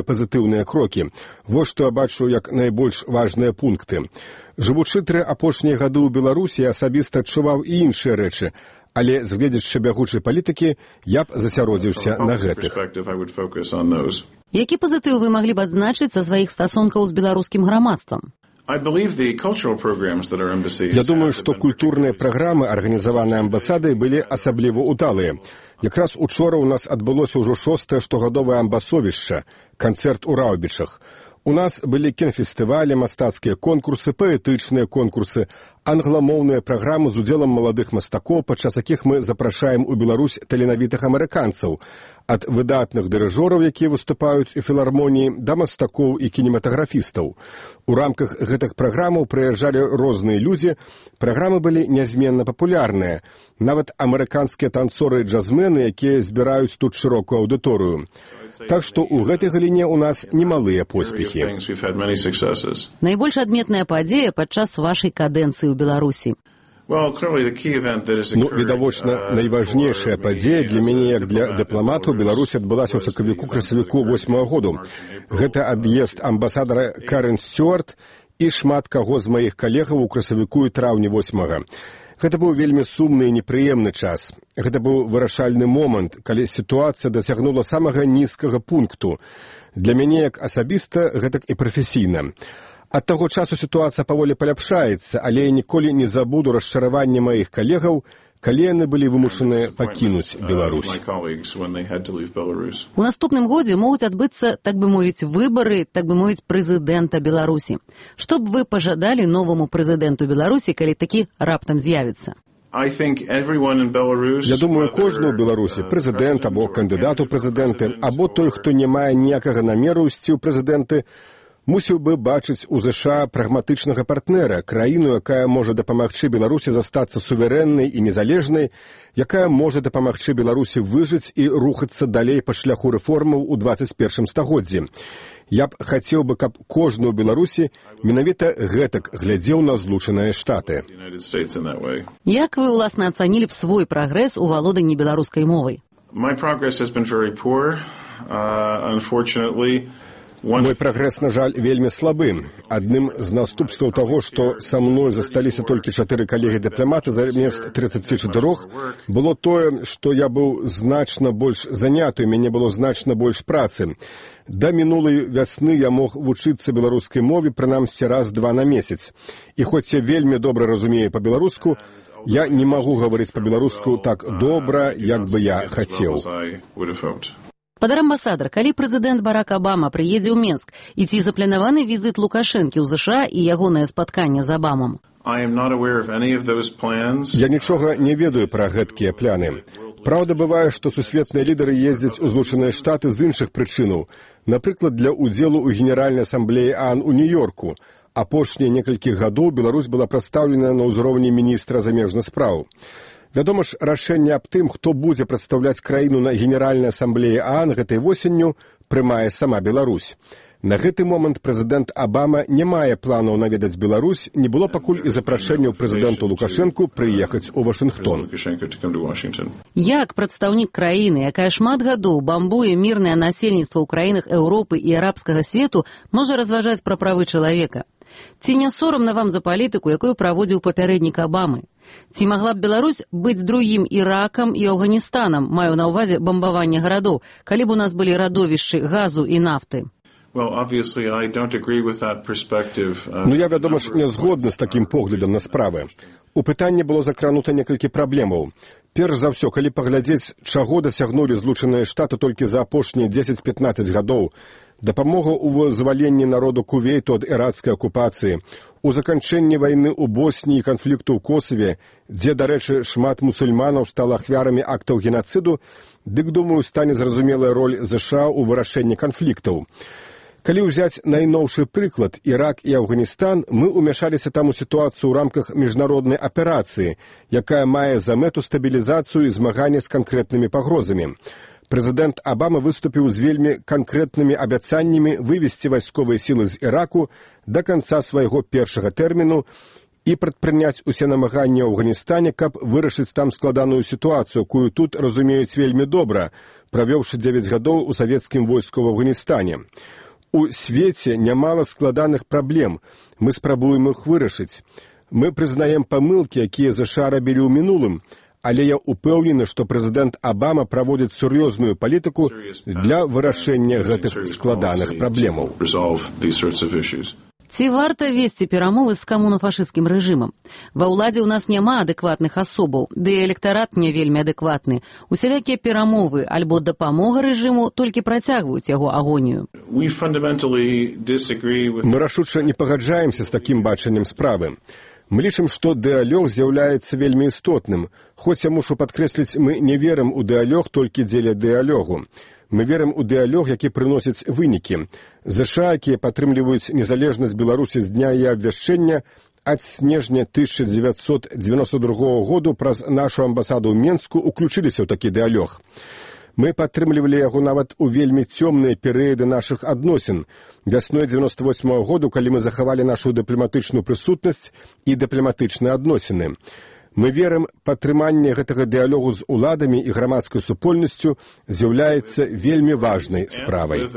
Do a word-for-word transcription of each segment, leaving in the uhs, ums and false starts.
пазітыўныя крокі. Вось што я бачу як найбольш важныя пункты. Жывучы тры апошнія гады ў Беларусі, я асабіста адчуваў і іншыя рэчы, але з гледзячы бягучай палітыкі я б засяродзіўся на гэтых. Які пазітыў вы маглі б адзначыць са сваіх стасункаў з беларускім грамадствам? Я думаю, што культурныя праграмы, арганізаваныя амбасадай, былі асабліва ўдалыя. Якраз учора ў нас адбылося ўжо шостае штогадовае амбасовішча, канцэрт у Раўбічах. У нас былі кінфестывалі, мастацкія конкурсы, паэтычныя конкурсы, англамоўныя праграмы з удзелам маладых мастакоў, падчас якіх мы запрашаем у Беларусь таленавітых амерыканцаў, ад выдатных дырыжораў, якія выступаюць у філармоніі, да мастакоў і кінематаграфістаў. У рамках гэтых праграмаў прыязджалі розныя людзі, праграмы былі нязменна папулярныя, нават амерыканскія танцоры і джазмены, якія збіраюць тут шырокую аўдыторыю. Так што ў гэтай галіне ў нас немалыя поспехі. Найбольш адметная падзея падчас вашай кадэнцыі ў Беларусі? Ну, відавочна, найважнейшая падзея для мяне, як для дыпламату, Беларусі адбылася ў сакавіку-красавіку восьмага году. Гэта ад'езд амбасадара Карен Стюарт і шмат каго з маіх калегаў у красавіку і траўні восьмага. Гэта быў вельмі сумны і непрыемны час. Гэта быў вырашальны момант, калі сітуацыя дасягнула самага нізкага пункту. Для мяне як асабіста, гэтак і прафесійна. Ад таго часу сітуацыя паволі паляпшаецца, але я ніколі не забуду расчараванне маіх калегаў, калі яны былі вымушаныя пакінуць Беларусь. У наступным годзе могуць адбыцца, так бы мовіць, выбары, так бы мовіць, прэзідэнта Беларусі. Што б вы пажадалі новаму прэзідэнту Беларусі, калі такі раптам з'явіцца? Я думаю, кожны ў Беларусі, прэзідэнт або кандыдат у прэзідэнты, або той, хто не мае ніякага намеру ісці ў прэзідэнты, мусіў бы бачыць у ЗША прагматычнага партнера, краіну, якая можа дапамагчы Беларусі застацца суверэннай і незалежнай, якая можа дапамагчы Беларусі выжыць і рухацца далей па шляху рэформаў у дваццаць першым стагоддзі. Я б хацеў бы, каб кожны ў Беларусі менавіта гэтак глядзеў на Злучаныя Штаты. Як вы, уласна, ацанілі б свой прагрэс у валоданні беларускай мовай? Мой прагрэс, на жаль, вельмі слабы. Адным з наступстваў таго, што са мной засталіся толькі чатыры калегі-дыпламаты замест трыццаці чатырох, было тое, што я быў значна больш заняты, у мяне было значна больш працы. Да мінулай вясны я мог вучыцца беларускай мове прынамсі раз-два на месяц. І хоць я вельмі добра разумею па-беларуску, я не магу гаварыць па-беларуску так добра, як бы я хацеў. Падар амбасадар, калі прэзідэнт Барак Абама прыедзе ў Менск, і ці запланаваны візіт Лукашэнкі ў ЗША і ягонае спатканне з Абамам? Я нічога не ведаю пра гэткія пляны. Праўда, бывае, што сусветныя лідары ездзяць у Злучаныя Штаты з іншых прычынаў, напрыклад, для ўдзелу ў Генеральнай асамблеі ААН у Нью-Йорку. Апошнія некалькі гадоў Беларусь была прадстаўлена на ўзроўні міністра замежных спраў. Вядома ж, рашэнне аб тым, хто будзе прадстаўляць краіну на Генеральнай асамблеі ААН гэтай восенню, прымае сама Беларусь. На гэты момант прэзідэнт Абама не мае планаў наведаць Беларусь, не было пакуль і запрашэнняў прэзідэнту Лукашэнку прыехаць у Вашынгтон. Як прадстаўнік краіны, якая шмат гадоў бамбуе мірнае насельніцтва ў краінах Еўропы і арабскага свету, можа разважаць пра правы чалавека? Ці не сорамна вам за палітыку, якую праводзіў папярэднік Абамы? Ці магла б Беларусь быць другім Іракам і Афганістанам, маю на ўвазе бамбаванне гарадоў, калі б у нас былі радовішчы газу і нафты? Ну, я, вядома ж, не згодны з такім поглядам на справы. У пытанні было закранута некалькі праблемаў. Перш за ўсё, калі паглядзець, чаго дасягнулі Злучаныя Штаты толькі за апошнія дзесяць-пятнаццаць гадоў, дапамога ў вызваленні народу Кувейту ад ірацкай акупацыі, у заканчэнні вайны ў Босніі і канфлікту ў Косаве, дзе, дарэчы, шмат мусульманаў стала ахвярамі актаў генацыду, дык, думаю, стане зразумелая роль ЗША ў вырашэнні канфліктаў. Калі ўзяць найноўшы прыклад, Ірак і Афганістан, мы ўмяшаліся там у сітуацыю ў рамках міжнароднай аперацыі, якая мае за мэту стабілізацыю і змаганне з канкрэтнымі пагрозамі. Прэзідэнт Абама выступіў з вельмі канкрэтнымі абяцаннямі вывесці вайсковыя сілы з Іраку да канца свайго першага тэрміну і прадпрыняць усе намаганні ў Афганістане, каб вырашыць там складаную сітуацыю, якую тут разумеюць вельмі добра, правёўшы дзевяць гадоў у савецкім войску ў Афганістане. У свеце нямала складаных праблем, мы спрабуем іх вырашыць. Мы прызнаем памылкі, якія ЗША рабілі ў мінулым, але я упэўнены, што прэзідэнт Абама праводзіць сур'ёзную палітыку для вырашэння гэтых складаных праблемаў. Ці варта весці перамовы з камунафашысцкім рэжымам? Ва ўладзе ў нас няма адэкватных асобаў, ды і электарат не вельмі адэкватны. Усялякія перамовы альбо дапамога рэжыму толькі працягваюць яго агонію. Мы рашуча не пагаджаемся з такім бачаннем справы. Мы лічым, што дыалог з'яўляецца вельмі істотным. Хоць я мушу падкрэсліць, мы не верым у дыалог толькі дзеля дыалогу. Мы верым у дыалог, які прыносіць вынікі. ЗША, якія падтрымліваюць незалежнасць Беларусі з дня яе абвяшчэння, ад снежня тысяча дзевяцьсот дзевяносто другога году праз нашу амбасаду ў Менску уключыліся ў такі дыалог. Мы падтрымлівалі яго нават у вельмі цёмныя перыяды нашых адносін. Вясной дзевяносто восьмага году, калі мы захавалі нашу дыпламатычную прысутнасць і дыпламатычныя адносіны. Мы верым, падтрыманне гэтага дыалогу з уладамі і грамадскай супольнасцю з'яўляецца вельмі важнай справай.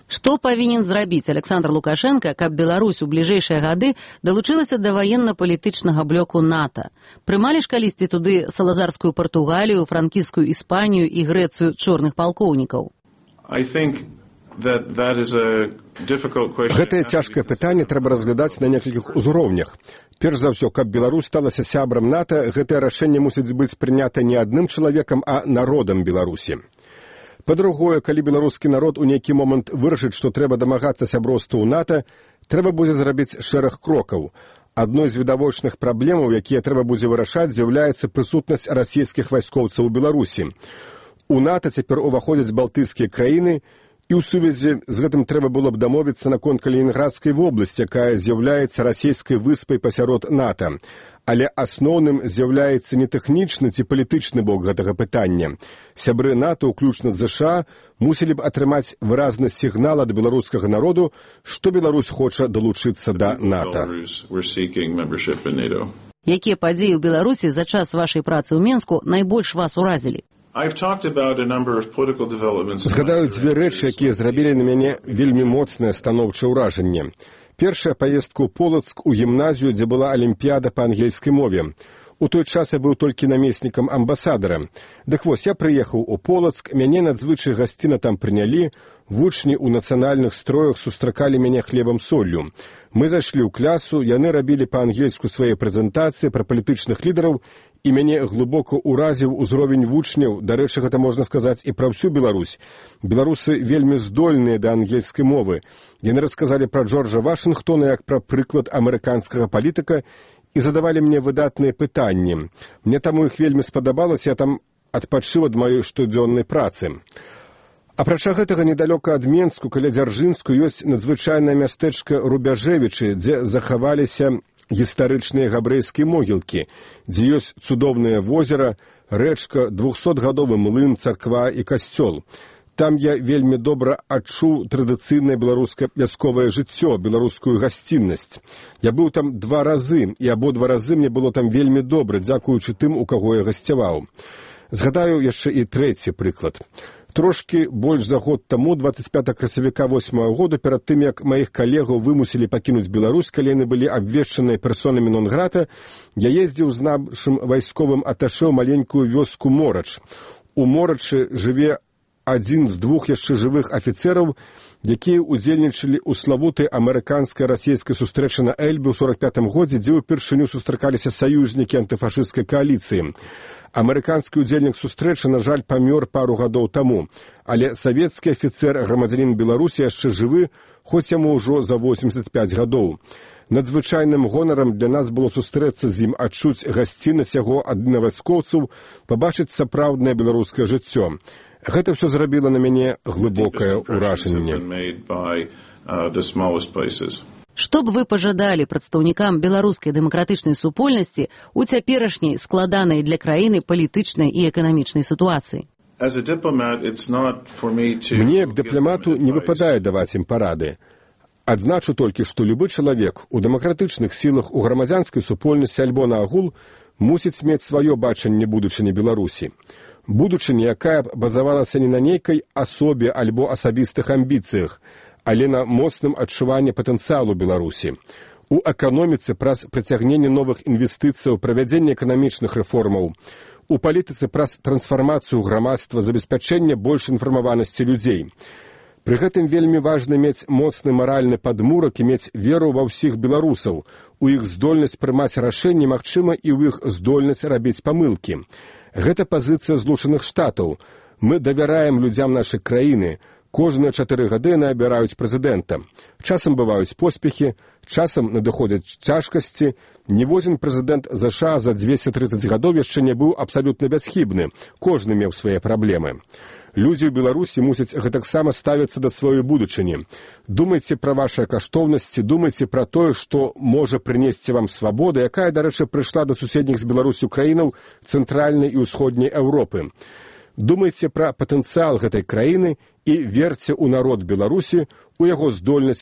Што павінен зрабіць Александр Лукашенко, каб Беларусь у бліжэйшыя гады далучылася да ваенна-палітычнага блоку НАТО? Прымалі ж калісьці туды салазарскую Партугалію, франкійскую Іспанію і Грэцыю чорных палкоўнікаў? Гэтае цяжкае пытанне трэба разглядаць на некалькіх узроўнях. Перш за ўсё, каб Беларусь сталася сябрам НАТО, гэтае рашэнне мусіць быць прынята не адным чалавекам, а народам Беларусі. Па-другое, калі беларускі народ у нейкі момант вырашыць, што трэба дамагацца сяброўства ў НАТО, трэба будзе зрабіць шэраг крокаў. Адной з відавочных праблемаў, якія трэба будзе вырашаць, з'яўляецца прысутнасць расійскіх вайскоўцаў у Беларусі. У НАТО цяпер уваходзяць балтыйскія краіны, і ў сувязі з гэтым трэба было б дамовіцца наконт Калінінградскай вобласці, якая з'яўляецца расійскай выспай пасярод НАТО. Але асноўным з'яўляецца не тэхнічны ці палітычны бок гэтага пытання. Сябры НАТО, уключна з ЗША, мусілі б атрымаць выразны сігнал ад беларускага народу, што Беларусь хоча далучыцца да НАТО. Якія падзеі ў Беларусі за час вашай працы ў Менску найбольш вас уразілі? Згадаю дзве рэчы, якія зрабілі на мяне вельмі моцнае станоўчае ўражанне. Першая паездка ў Полацк у гімназію, дзе была алімпіяда па ангельскай мове. У той час я быў толькі намеснікам амбасадара. Дык вось, я прыехаў у Полацк, мяне надзвычай гасціна там прынялі, вучні ў нацыянальных строях сустракалі мяне хлебам-соллю. Мы зайшлі ў клясу, яны рабілі па-ангельску свае прэзентацыі пра палітычных лідараў, і мяне глыбока ўразіў узровень вучняў, дарэчы, гэта можна сказаць і пра ўсю Беларусь. Беларусы вельмі здольныя да ангельскай мовы. Яны расказалі пра Джорджа Вашынгтона як пра прыклад амерыканскага палітыка і задавалі мне выдатныя пытанні. Мне таму іх вельмі спадабалася, я там адпачыў ад маёй штодзённай працы. Апрача гэтага, недалёка ад Менску, каля Дзяржынску, ёсць надзвычайнае мястэчка Рубяжэвічы, дзе захаваліся гістарычныя габрэйскія могілкі, дзе ёсць цудоўнае возера, рэчка, двухсотгадовы млын, царква і касцёл. Там я вельмі добра адчуў традыцыйнае беларускае вясковае жыццё, беларускую гасціннасць. Я быў там два разы, і абодва разы мне было там вельмі добра, дзякуючы тым, у каго я гасцяваў. Згадаю яшчэ і трэці прыклад. Трошкі больш за год таму, дваццаць пятага красавіка восьмага году, перад тым, як маіх калегаў вымусілі пакінуць Беларусь, калі яны былі абвешчаныя персонамі нон-грата, я ездзіў з нашым вайсковым аташэ ў маленькую вёску Морач. У Морачы жыве адзін з двух яшчэ жывых афіцэраў, якія ўдзельнічалі ў славутай амерыканска-расійскай сустрэчы на Эльбе ў сорак пятым годзе, дзе ўпершыню сустракаліся саюзнікі антыфашысцкай кааліцыі. Амерыканскі ўдзельнік сустрэчы, на жаль, памёр пару гадоў таму, але савецкі афіцэр, грамадзянін Беларусі, яшчэ жывы, хоць яму ўжо за восемьдесят пять гадоў. Надзвычайным гонарам для нас было сустрэцца з ім, адчуць гасціннасць яго ад вайскоўцаў, пабачыць сапраўднае беларускае жыццё. Гэта ўсё зрабіла на мяне глыбокае ўражанне. Што б вы пажадалі прадстаўнікам беларускай дэмакратычнай супольнасці ў цяперашняй складанай для краіны палітычнай і эканамічнай сітуацыі? Мне, як дыпламату, не выпадае даваць ім парады. Адзначу толькі, што любы чалавек у дэмакратычных сілах, у грамадзянскай супольнасці альбо наогул мусіць мець сваё бачанне будучыні Беларусі. Будучыня, якая б базавалася не на нейкай асобе альбо асабістых амбіцыях, але на моцным адчуванні патэнцыялу Беларусі. У эканоміцы праз прыцягненне новых інвестыцыяў, правядзенне эканамічных рэформаў, у палітыцы праз трансфармацыю грамадства, забеспячэнне больш інфармаванасці людзей. Пры гэтым вельмі важна мець моцны маральны падмурак і мець веру ва ўсіх беларусаў, у іх здольнасць прымаць рашэнні, магчыма, і ў іх здольнасць рабіць памылкі. Гэта пазіцыя Злучаных Штатаў. Мы давяраем людзям нашай краіны. Кожныя чатыры гады яны абіраюць прэзідэнта. Часам бываюць поспехі, часам надыходзяць цяжкасці. Ніводзін прэзідэнт ЗША за дзвесце трыццаць гадоў яшчэ не быў абсалютна бясхібны. Кожны меў свае праблемы. Людзі ў Беларусі мусяць гэтаксама ставіцца да сваёй будучыні. Думайце пра вашыя каштоўнасці, думайце пра тое, што можа прынесці вам свабода, якая, дарэчы, прыйшла да суседніх з Беларусю краінаў цэнтральнай і ўсходняй Еўропы. Думайце пра патэнцыял гэтай краіны і верце ў народ Беларусі, у яго здольнасць